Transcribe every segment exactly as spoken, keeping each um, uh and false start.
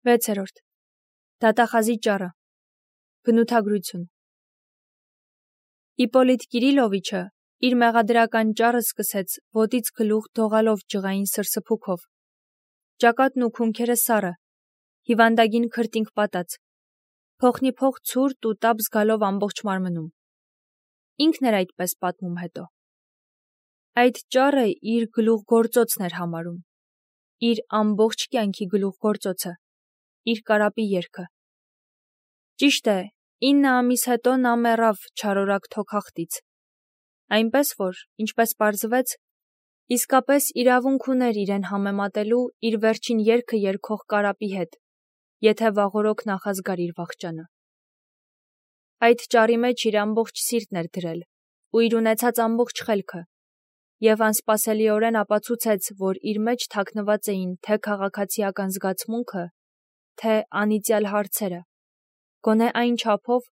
վեցերորդ. Դատախազի ճառը, բնութագրություն։ Իպոլիտ Կիրիլովիչը իր մեղադրական ճառը սկսեց ոտից գլուխ դողալով ջղային սրսփուքով, ճակատն ու քունքերը սառը, հիվանդագին քրտինք պատած, փոխնիփոխ ցուրտ ու տաբ զգալով ամբողջ մարմնում։ Ինքն էր այդպես պատմում հետո։ Այդ ճառը իր գլուխգործոցն էր համարում, իր ամբողջ կյանքի գլուխգործոցը, իր կարապի երգը։ Ճիշտ է, ինը ամիս հետո նա մեռավ չարորակ թոքախտից, այնպես որ, ինչպես պարզվեց, իսկապես իրավունք ուներ իրեն համեմատելու իր վերջին երգը երգող կարապի հետ, եթե վաղօրոք նախազգար իր վախճանը։ Այդ ճառի մեջ իր ամբողջ սիրտն էր դրել ու իր ունեցած ամբողջ խելքը, և անսպասելիորեն ապացուցեց, որ իր մեջ թաքնված էին թե քաղաքացիական զգացմունքը, թե անիծյալ հարցերը, գոնե այն չափով,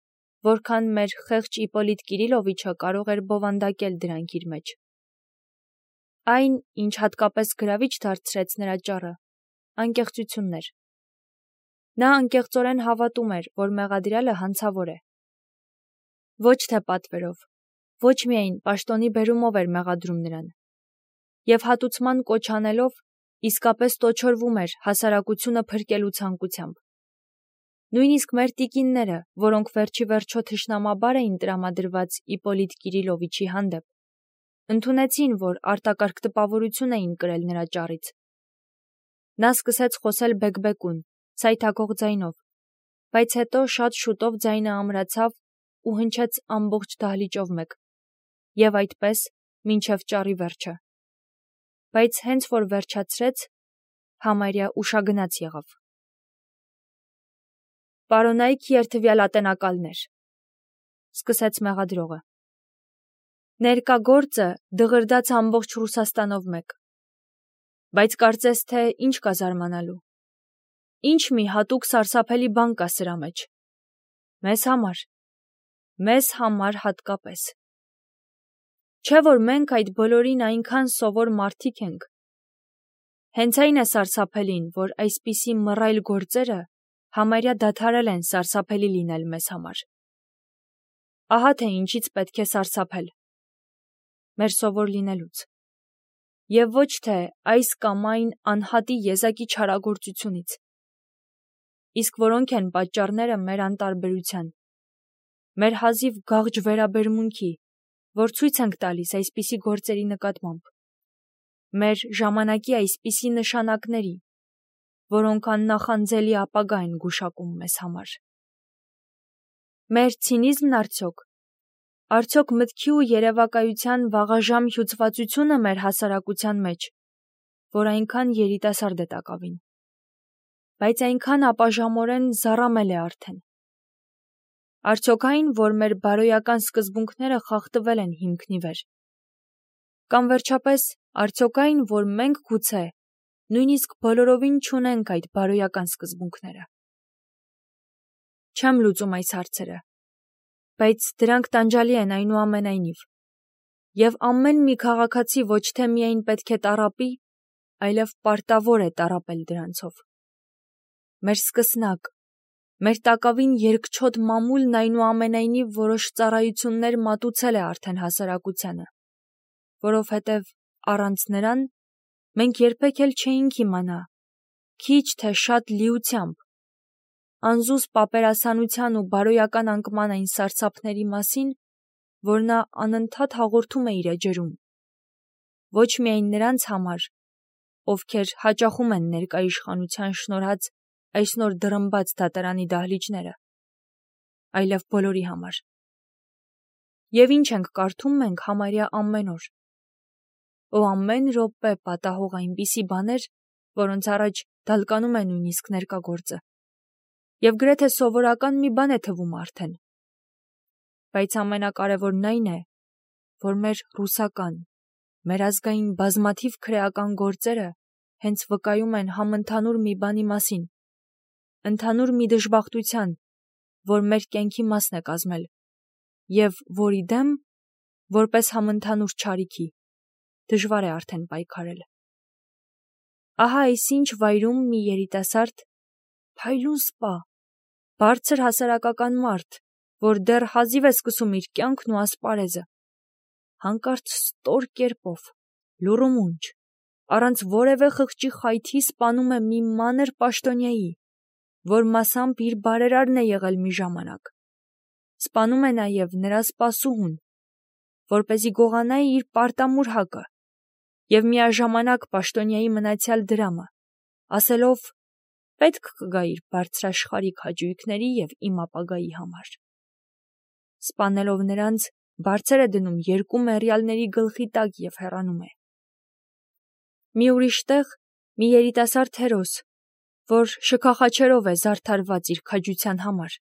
որքան մեր խեղճ Իպոլիտ Կիրիլովիչը կարող էր բովանդակել դրանք իր մեջ։ Այն, ինչ հատկապես գրավիչ դարձրեց նրա ճառը, անկեղծությունն էր։ Նա անկեղծորեն հավատում էր, որ մեղադրյալը հանցավոր է։ Ոչ թե պատվերով, ոչ միայն պաշտոնի բերումով էր մեղադրում նրան, և հատուցման կոչ անելով, իսկապես տոչորվում էր հասարակությունը փրկելու ցանկությամբ։ Նույնիսկ մեր տիկինները, որոնք վերջիվերջո թշնամաբար էին տրամադրված Իպոլիտ Կիրիլովիչի հանդեպ, ընդունեցին, որ արտակարգ տպավորություն էին կրել նրա ճառից։ Նա սկսեց խոսել բեկբեկուն, սայթաքող ձայնով, բայց հետո շատ շուտով ձայնը ամրացավ ու հնչեց ամբողջ դահլիճով մեկ, և այդպես մինչև ճառի վերջը։ Բայց հենց որ վերջացրեց, համարյա ուշագնաց եղավ։ Պարոնայք երդվյալ ատենակալներ, սկսեց մեղադրողը։ Ներկա գործը դղրդաց ամբողջ Ռուսաստանով մեկ, բայց կարծես թե ինչ կա զարմանալու, ինչ մի հատուկ սարսափելի բան կա սրա մեջ, մեզ համար, մեզ համար հատկապես։ Չէ՞ որ մենք այդ բոլորին այնքան սովոր մարդիկ ենք։ Հենց այն է սարսափելին, որ այսպիսի մռայլ գործերը համարյա դադարել են սարսափելի լինել մեզ համար։ Ահա թե ինչից պետք է սարսափել։ Մեր սովոր լինելուց։ Եվ ոչ թե այս կամ այն անհատի եզակի չարագործությունից։ Իսկ որոնք են պատճառները մեր անտարբերության, մեր հազիվ գաղջ վերաբերմունքի, որ ցույց ենք տալիս այսպիսի գործերի նկատմամբ, մեր ժամանակի այսպիսի նշանակների, որոնք աննախանձելի ապագա են գուշակում մեզ համար։ Մեր ցինիզմն արդյոք, արդյոք մտքի ու երևակայության վաղաժամ հյուծվածությունը մեր հասարակության մեջ, որ այնքան երիտասարդ է տակավին, բայց այնքան ապաժամորեն զառամել է արդեն։ Արդյոք այն, որ մեր բարոյական սկզբունքները խախտվել են հիմքնի վեր։ Կամ վերջապես, արդյոք այն, որ մենք գուցե նույնիսկ բոլորովին չունենք այդ բարոյական սկզբունքները։ Չեմ լուծում այս հարցերը, բայց դրանք տանջալի են այնուամենայնիվ, և ամեն մի քաղաքացի ոչ թե միայն պետք է տառապի, այլև պարտավոր է տառապել դրանցով։ Մեր սկսնակ, մեր տակավին երկչոտ մամուլն այնուամենայնիվ որոշ ծառայություններ մատուցել է արդեն հասարակությանը, որովհետև առանց նրան մենք երբեք էլ չէինք իմանա, քիչ թե շատ լիությամբ, անզուզ պապերասանության ու բարոյական անկման այն սարսափների մասին, որ նա անընդհատ հաղորդում է իր էջերում, ոչ միայն նրանց համար, ովքեր հաճախում են ներկա իշխանության շնորհած այս նոր դռմբաց դատարանի դահլիճները, այլև բոլորի համար։ Եվ ինչ ենք կարդում մենք համարյա ամեն օր։ Ու ամեն րոպե պատահող այնպիսի բաներ, որոնց առաջ դալկանում է նույնիսկ ներկա գործը, և գրեթե սովորական մի բան է թվում արդեն։ Բայց ամենակարևորն այն է, որ մեր ռուսական, մեր ազգային բազմաթիվ քրեական գործերը հենց վկայում են համընդհանուր մի բանի մասին, ընդհանուր մի դժբախտության, որ մեր կյանքի մասն է կազմել, և որի դեմ, որպես համընդհանուր չարիքի, դժվար է արդեն պայքարել։ Ահա այսինչ վայրում մի երիտասարդ, փայլուն սպա, բարձր հասարակական մարդ, որ դեռ հազիվ է սկսում իր կյանքն ու ասպարեզը, հանկարծ ստոր կերպով, լուռումունջ, առանց որևէ խղճի խայթի սպանում է մի մանր պաշտոնյայի, որ մասամբ իր բարերարն է եղել մի ժամանակ, սպանում է նաև նրա սպասուհուն, որպեսզի գողանայի իր պարտամուր հակը և միաժամանակ պաշտոնյայի մնացյալ դրամը, ասելով պետք կգա իր բարձրաշխարհիկ հաճույքների և իմ ապագայի համար։ Սպանելով նրանց, բարձր է դնում երկու մեռյալների գլխի տակ և հեռանում է։ Մի ուրիշ տեղ մի երիտասարդ հերոս, որ շքախաչերով է զարդարված իր քաջության համար,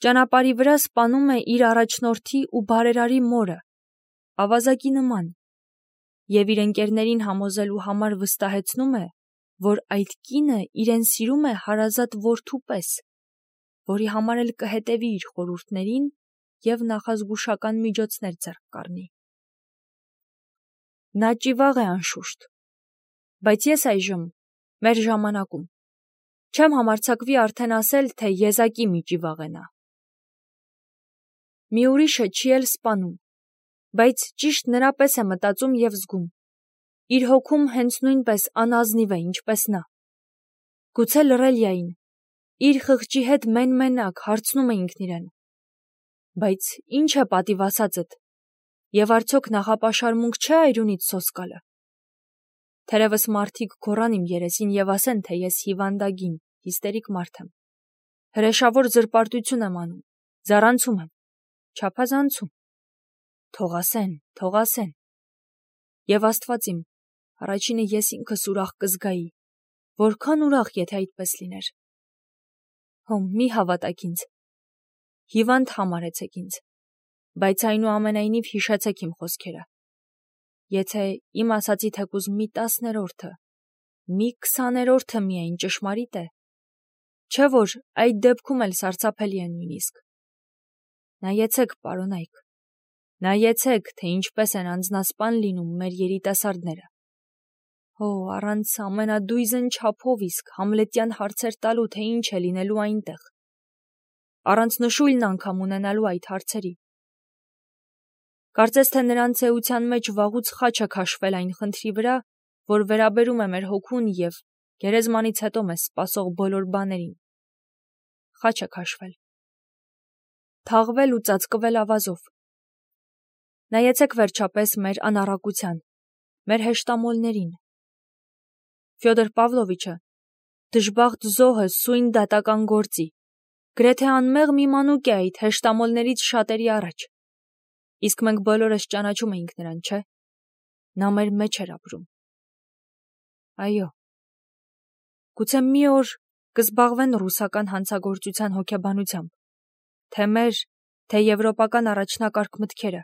ճանապարհի վրա սպանում է իր առաջնորդի ու բարերարի մորը, ավազակի նման, և իր ընկերներին համոզելու համար վստահեցնում է, որ այդ կինը իրեն սիրում է հարազատ որդու պես, որի համար էլ կհետևի իր խորհուրդներին և նախազգուշական միջոցներ ձեռք կառնի։ Նա ճիվաղ է անշուշտ, բայց ես այժմ, մեր ժամանակում, չեմ համարձակվի արդեն ասել, թե եզակի մի ճիվաղ է նա։ Մի ուրիշը չի էլ սպանում, բայց ճիշտ նրա պես է մտածում և զգում, իր հոգում հենց նույնպես անազնիվ է, ինչպես նա։ Գուցե լռելիային, իր խղճի հետ մեն-մենակ հարցնում է ինքն իրեն. բայց ի՞նչ է պատիվ ասածդ, և արդյոք նախապաշարմունք չէ այրունից սոսկալը։ Թերևս մարդիկ գոռան իմ երեսին և ասեն, թե ես հիվանդագին, հիստերիկ մարդ եմ, հրեշավոր զրպարտություն եմ անում, ձառանցում եմ, չափազանցում, թող ասեն, թող ասեն, և Աստված իմ, առաջինը ես ինքս ուրախ կզգայի, որքան ուրախ, եթե այդպես լիներ։ Հո մի հավատաք ինձ, հիվանդ համարեցեք ինձ, բայց այնուամենայնիվ հիշեցեք իմ խոսքերը։ Եթե իմ ասացի թեկուզ մի տասներորդը, մի քսաներորդը միայն ճշմարիտ է, չէ՞ որ այդ դեպքում էլ սարսափելի է նույնիսկ։ Նայեցեք, պարոնայք, նայեցեք, թե ինչպես են անձնասպան լինում մեր երիտասարդները։ Հո, առանց ամենադույզն չափով իսկ համլետյան հարցեր տալու, թե ինչ է լինելու այնտեղ, առանց նշույլն անգամ ունենալու այդ հարցերի։ Կարծես թե նրանց էության մեջ վաղուց խաչ է քաշվել այն խնդրի վրա, որ վերաբերում է մեր հոգուն և գերեզմանից հետո մեզ սպասող բոլոր բաներին։ Խաչ է քաշվել։ Թաղվել ու ծածկվել ավազով։ Նայեցեք վերջապես մեր անառակության, մեր հեշտամոլներին։ Ֆյոդոր Պավլովիչը, դժբախտ զոհը սույն դատական գործի, գրեթե անմեղ մի մանուկ է այդ հեշտամոլներից շատերի առաջ, իսկ մենք բոլորս ճանաչում էինք նրան, չէ՞։ Նա մեր մեջ էր ապրում։ Այո, գուցե մի օր կզբաղվեն ռուսական հանցագործության հոգեբանությամբ, թե մեր, թե եվրոպական առաջնակարգ մտքերը,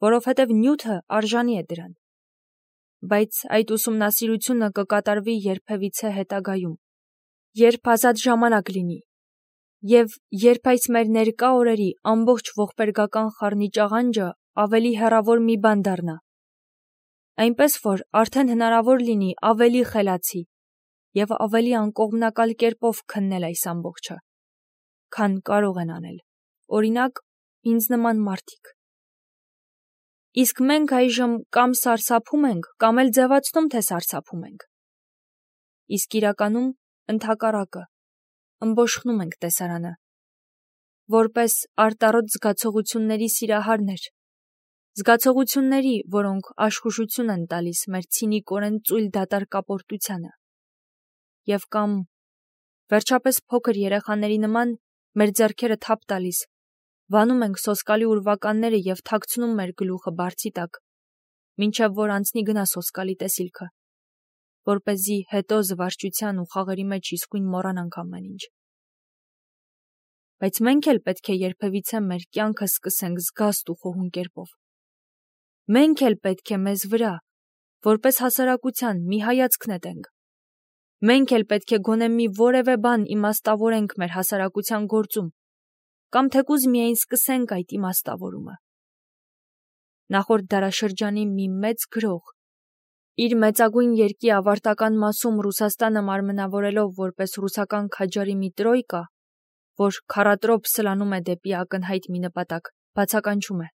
որովհետև նյութը արժանի է դրան, բայց այդ ուսումնասիրությունը կկատարվի երբևիցե հետագայում, երբ ազատ ժամանակ լինի, և երբ այս մեր ներկա օրերի ամբողջ ողբերգական խառնիճաղանջը ավելի հեռավոր մի բան դառնա, այնպես որ արդեն հնարավոր լինի ավելի խելացի և ավելի անկողմնակալ կերպով քննել այս ամբողջը, քան կարող են անել, օրինակ, ինձ նման մարդիկ։ Իսկ մենք այժմ կամ սարսափում ենք, կամ էլ ձևացնում, թե սարսափում ենք։ Իսկ իրականում ընդհակառակը, ըմբոշխնում ենք տեսարանը, որպես արտառոտ զգացողությունների սիրահարներ, զգացողությունների, որոնք աշխուժություն են տալիս մեր ցինիկորեն ծույլ դատարկապորտությանը, և կամ, վերջապես փոքր երեխաների նման, մեր ձեռքերը թափ տալիս, վանում ենք սոսկալի ուրվականները և թաքցնում մեր գլուխը բարձի տակ, մինչև որ անցնի գնա սոսկալի տեսիլքը, որպեսզի հետո զվարճության ու խաղերի մեջ իսկույն մոռանանք ամեն ինչ։ Բայց մենք էլ պետք է երբևիցե մեր կյանքը սկսենք զգաստ ու խոհուն կերպով։ Մենք էլ պետք է մեզ վրա, որպես հասարակության, մի հայացք նետենք։ Մենք էլ պետք է գոնե մի որևէ բան իմաստավորենք մեր հասարակության գործում, կամ թեկուզ միայն սկսենք այդ իմաստավորումը։ Նախորդ դարաշրջանի մի մեծ գրող, իր մեծագույն երկի ավարտական մասում Ռուսաստանը մարմնավորելով որպես ռուսական քաջարի մի տրոյկա, որ քառատրոփ սլանում է դեպի ակնհայտ մի նպատակ, բացականչում է.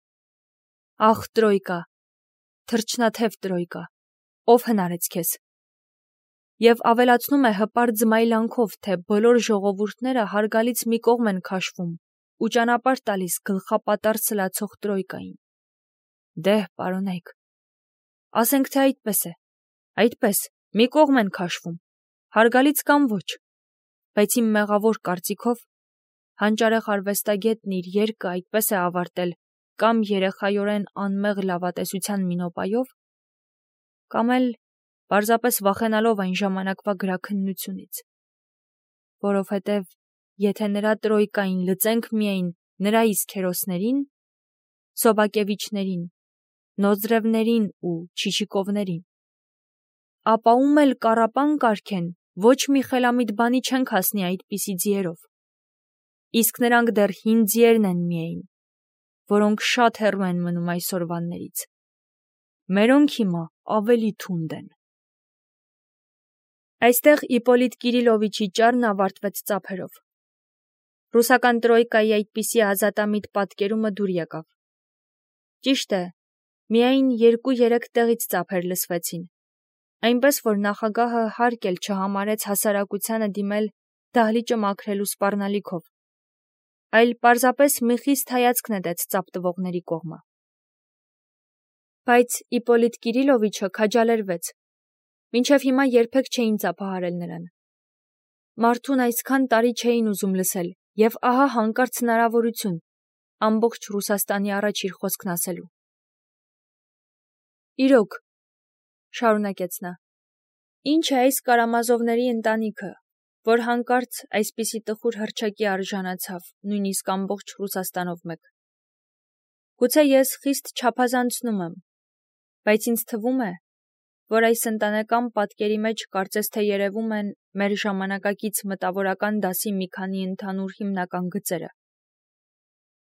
«Ախ, տրոյկա, թռչնաթև տրոյկա, ով հնարեց քեզ»։ Եվ ավելացնում է հպարտ զմայլանքով, թե բոլոր ժողովուրդները հարգալից մի կողմ են քաշվում ու ճանապարհ տալիս գլխապատառ սլացող տրոյկային։ Դե՛հ, պարոնայք, ասենք թե այդպես է, այդպես, մի կողմ են քաշվում, հարգալից կամ ոչ, բայց իմ մեղավոր կարծիքով հանճարեղ արվեստագետն իր երգը այդպես է ավարտել կամ երեխայորեն անմեղ լավատեսության մի նոպայով, կամ էլ պարզապես վախենալով այն ժամանակվա գրաքննությունից, որովհետև եթե նրա տրոյկային լծենք միայն նրա իսկ հերոսներին, Սոբակևիչներին, Նոզրևներին ու Չիչիկովներին, ապա ում էլ կառապան կարգեն, ոչ մի խելամիտ բանի չենք հասնի այդպիսի ձիերով, իսկ նրանք դեռ հին ձիերն են միայն, որոնք շատ հեռու են մնում այսօրվաններից, մերոնք հիմա ավելի թունդ են։ Այստեղ Իպոլիտ Կիրիլովիչի ճարն ավարտվեց ծափերով։ Ռուսական տրոյկայի այդպիսի ազատամիտ պատկերումը դուր եկավ։ Ճիշտ է, միայն երկու-երեք տեղից ծափեր լսվեցին, այնպես որ նախագահը հարկ էլ չհամարեց հասարակությանը դիմել դահլիճը մաքրելու սպառնալիքով, այլ պարզապես մի խիստ հայացք նետեց ծափ տվողների կողմը։ Բայց Իպոլիտ Կիրիլովիչը քաջալերվեց, մինչև հիմա երբեք չէին ծափահարել նրան։ Մարդուն այսքան տարի չէին ուզում լսել, և ահա հանկարծ հնարավորություն ամբողջ Ռուսաստանի առաջ իր խոսքն ասելու։ Իրոք, շարունակեց նա, ինչ է այս Կարամազովների ընտանիքը, որ հանկարծ այսպիսի տխուր հռչակի արժանացավ, նույնիսկ ամբողջ Ռուսաստանով մեկ։ Գուցե ես խիստ չափազանցնում եմ, բայց ինձ թվում է, որ այս ընտանեկան պատկերի մեջ կարծես թե երևում են մեր ժամանակակից մտավորական դասի մի քանի ընդհանուր հիմնական գծերը։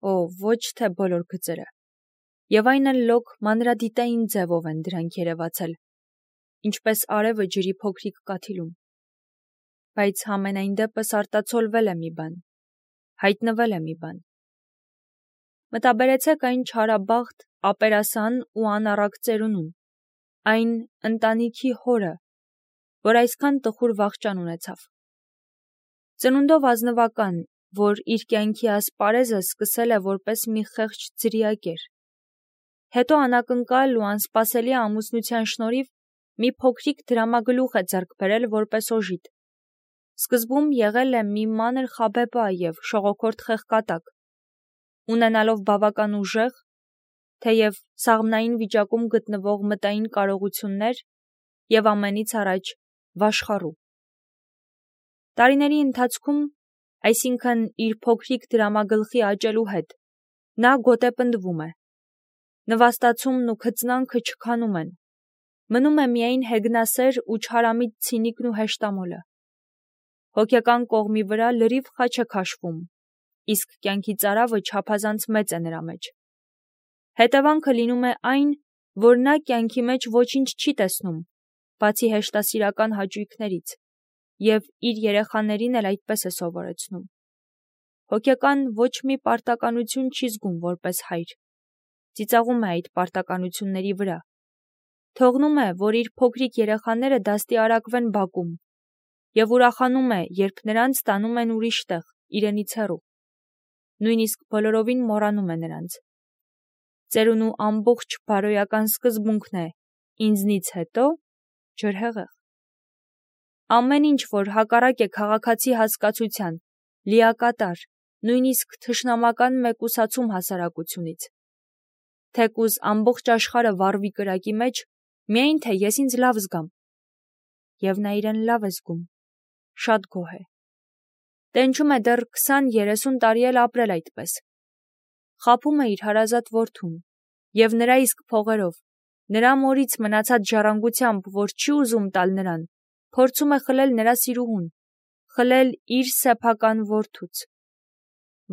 Օ, ոչ թե բոլոր գծերը, և այն էլ լոկ մանրադիտային ձևով են դրանք երևացել, ինչպես արևը ջրի փոքրիկ կաթիլում։ Բայց համենայն դեպս արտացոլվել է մի բան, հայտնվել է մի բան։ Մտաբերեցեք այն չարաբախտ, ապերասան ու անառակ ծերունուն, այն ընտանիքի հորը, որ այսքան տխուր վախճան ունեցավ։ Ծնունդով ազնվական, որ իր կյանքի ասպարեզը սկսել է որպես մի խեղճ ձրիակեր, հետո անակնկալ ու անսպասելի ամուսնության շնորհիվ մի փոքրիկ դրամագլուխ է ձեռք բերել որպես օժիտ, սկզբում եղել է մի մանր խաբեբա և շողոքորթ խեղկատակ, ունենալով բավական ուժեղ, թեև սաղմնային վիճակում գտնվող մտային կարողություններ և ամենից առաջ վաշխառու։ Տարիների ընթացքում, այսինքն իր փոքրիկ դրամագլխի աճելու հետ, նա գոտեպնդվում է, նվաստացումն ու քծնանքը չքանում են, մնում է միայն հեգնասեր ու չարամիտ ցինիկն ու հեշտամոլը։ Հոգեկան կողմի վրա լրիվ խաչ է քաշվում, իսկ կյանքի ծարավը չափազանց մեծ է նրա մեջ։ Հետևանքը լինում է այն, որ նա կյանքի մեջ ոչինչ չի տեսնում, բացի հեշտասիրական հաճույքներից, և իր երեխաներին էլ այդպես է սովորեցնում։ Հոգեկան ոչ մի պարտականություն չի զգում որպես հայր, ծիծաղում է այդ պարտականությունների վրա, թողնում է, որ իր փոքրիկ երեխաները դաստիարակվեն բակում և ուրախանում է, երբ նրանց տանում են ուրիշ տեղ, իրենից հեռու, նույնիսկ բոլորովին մոռանում է նրանց։ Ծերունու ամբողջ բարոյական սկզբունքն է ինձնից հետո ջրհեղեղ։ Ամեն ինչ, որ հակառակ է քաղաքացի հասկացության, լիակատար, նույնիսկ թշնամական մեկուսացում հասարակությունից։ Թեկուզ ամբողջ աշխարհը վառվի կրակի մեջ, միայն թե ես ինձ լավ զգամ։ Եվ նա իրեն լավ է զգում, շատ գոհ է։ Տենչում է դեռ քսան-երեսուն տարի էլ ապրել այդպես։ Խաբում է իր հարազատ որդուն, և նրա իսկ փողերով, նրա մորից մնացած ժառանգությամբ, որ չի ուզում տալ նրան, փորձում է խլել նրա սիրուհուն, խլել իր սեփական որդուց։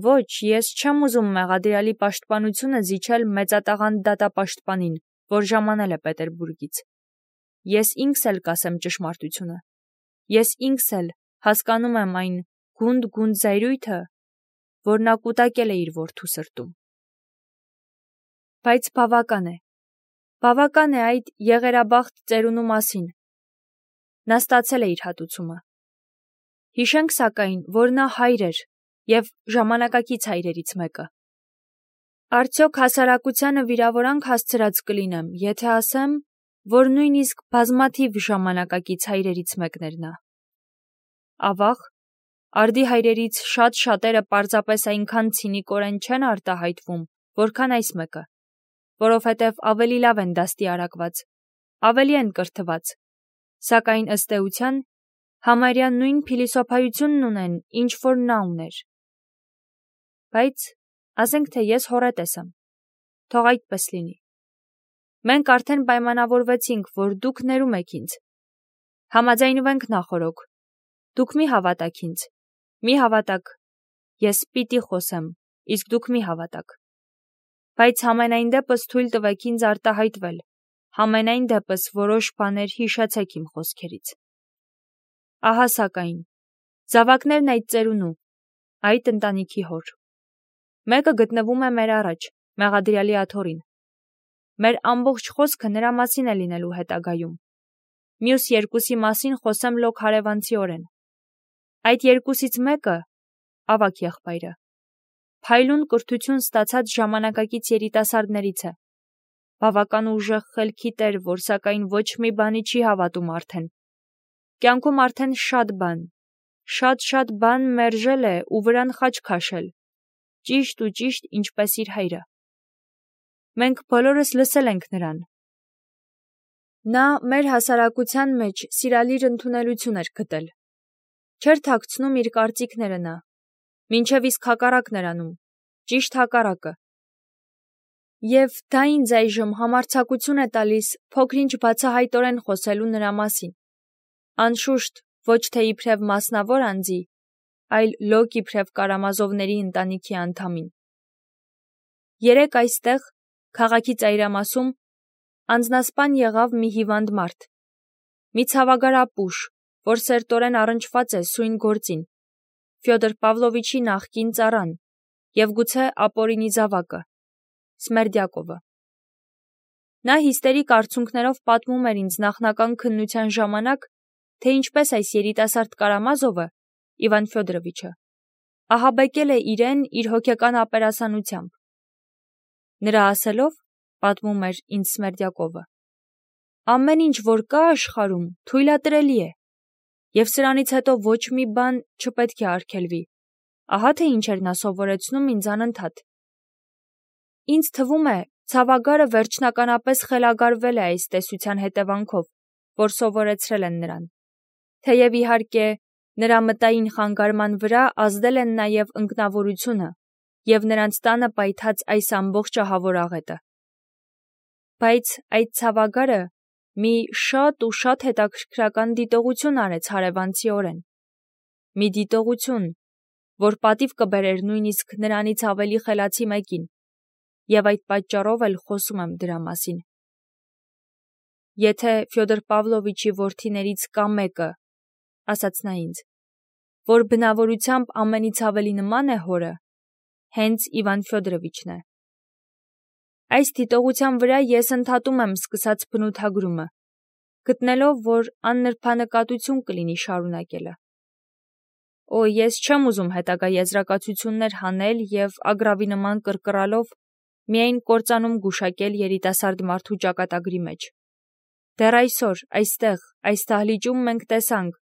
Ոչ, ես չեմ ուզում մեղադրյալի պաշտպանությունը զիջել մեծատաղանդ դատապաշտպանին, որ ժամանել է Պետերբուրգից։ ես ինքս էլ կասեմ ճշմարտությունը, ես ինքս էլ հասկանում եմ այն գունդ-գունդ զայրույթը, որ նա կուտակել է իր որդու սրտում։ Բայց բավական է, բավական է այդ եղերաբախտ ծերունու մասին, նա ստացել է իր հատուցումը։ Հիշենք սակայն, որ նա հայր էր և ժամանակակից հայրերից մեկը։ Արդյոք հասարակությանը վիրավորանք հասցրած կլինեմ, եթե ասեմ, որ նույնիսկ բազմաթիվ ժամանակակից հայրերից մեկն էր նա։ Ավաղ, արդի հայրերից շատ շատերը պարզապես այնքան ցինիկորեն չեն արտահայտվում, որքան այս մեկը, որովհետև ավելի լավ են դաստիարակված, ավելի են կրթված, սակայն ըստ էության համարյա նույն փիլիսոփայությունն ունեն, ինչ որ նա ուներ։ Բայց ասենք թե ես հոռետես եմ, թող այդպես լինի։ Մենք արդեն պայմանավորվեցինք, որ դուք ներում եք ինձ։ Համաձայնվենք նախօրոք։ Դուք մի հավատաք ինձ, մի հավատաք, ես պիտի խոսեմ, իսկ դուք մի հավատաք։ Բայց համենայն դեպս թույլ տվեք ինձ արտահայտվել, համենայն դեպս որոշ բաներ հիշեցեք իմ խոսքերից։ Ահա սակայն, զավակներն այդ ծերունու, այդ ընտանիքի հոր։ Մեկը գտնվում է մեր առաջ, մեղադրյալի աթոռին։ Մեր ամբողջ խոսքը նրա մասին է լինելու հետագայում։ Մյուս երկուսի մասին խոսեմ լոկ հարևանցիորեն։ Այդ երկուսից մեկը, ավագ եղբայրը, փայլուն կրթություն ստացած ժամանակակից երիտասարդներից է։ Բավական ուժեղ խելքի տեր, որ սակայն ոչ մի բանի չի հավատում արդեն։ Կյանքում արդեն շատ բան, շատ-շատ բան մերժել է ու վրան խաչ քաշել, ճիշտ ու ճիշտ ինչպես իր հայրը։ Մենք բոլորս լսել ենք նրան։ Նա մեր հասարակության մեջ սիրալիր ընդունելություն էր գտել։ Չէր թաքցնում իր կարծիքները նա, մինչև իսկ հակառակն էր անում, ճիշտ հակառակը։ Եվ դա ինձ այժմ համարձակություն է տալիս փոքր-ինչ բացահայտորեն խոսելու նրա մասին։ Անշուշտ, ոչ թե իբրև մասնավոր անձի, այլ լոկ իբրև Կարամազովների ընտանիքի անդամին։ Երեկ այստեղ, քաղաքի ծայրամասում, անձնասպան եղավ մի հիվանդ մարդ, մի ցավագար ապուշ, որ սերտորեն առնչված է սույն գործին, Ֆյոդոր Պավլովիչի նախկին ծառան և գուցե ապօրինի զավակը, Սմերդյակովը։ Նա հիստերիկ արցունքներով պատմում էր ինձ նախնական քննության ժամանակ, թե ինչպես այս երիտասարդ Կարամազովը, Իվան Ֆյոդորովիչը, ահաբեկել է իրեն իր հոգեկան ապերասանությամբ։ Նրա ասելով, պատմում էր ինձ Սմերդյակովը, ամեն ինչ, որ կա աշխարհում, թույլատրելի է, և սրանից հետո ոչ մի բան չպետք է արգելվի, ահա թե ինչ էր նա սովորեցնում ինձ անընդհատ։ Ինձ թվում է, ցավագարը վերջնականապես խելագարվել է այս տեսության հետևանքով, որ սովորեցրել են նրան, թեև իհարկե նրա մտային խանգարման վրա ազդել են նաև ընկնավորությունը և նրանց տանը պայթած այս ամբողջ ահավոր աղետը։ Բայց այդ ցավագարը մի շատ ու շատ հետաքրքրական դիտողություն արեց հարևանցիորեն։ Մի դիտողություն, որ պատիվ կբերեր նույնիսկ նրանից ավելի խելացի մեկին, և այդ պատճառով էլ խոսում եմ դրա մասին։ Եթե Ֆյոդոր Պավլովիչի որդիներից կա մեկը, ասաց նա ինձ, որ բնավորությամբ ամենից ավելի նման է հորը, հենց Իվան Ֆյոդորովիչն է։ Այս դիտողության վրա ես ընդհատում եմ սկսած բնութագրումը, գտնելով, որ աննրբանկատություն կլինի շարունակելը։ Օ, ես չեմ ուզում հետագա եզրակացություններ հանել և ագռավի նման կռկռալով միայն կործանում գուշակել երիտասարդ մարդու ճակատագրի մեջ։ Դեռ այսօր, այստեղ, այս դահլիճում մենք տեսանք,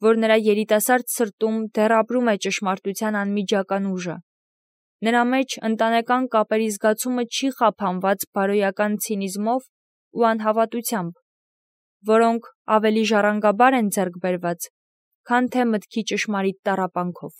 որ նրա երիտասարդ սրտում դեռ ապրում է ճշմարտության անմիջական ուժը։ Նրա մեջ ընտանեկան կապերի զգացումը չի խափանված բարոյական ցինիզմով ու անհավատությամբ, որոնք ավելի ժառանգաբար են ձեռք բերված, քան թե մտքի ճշմարիտ տառապանքով։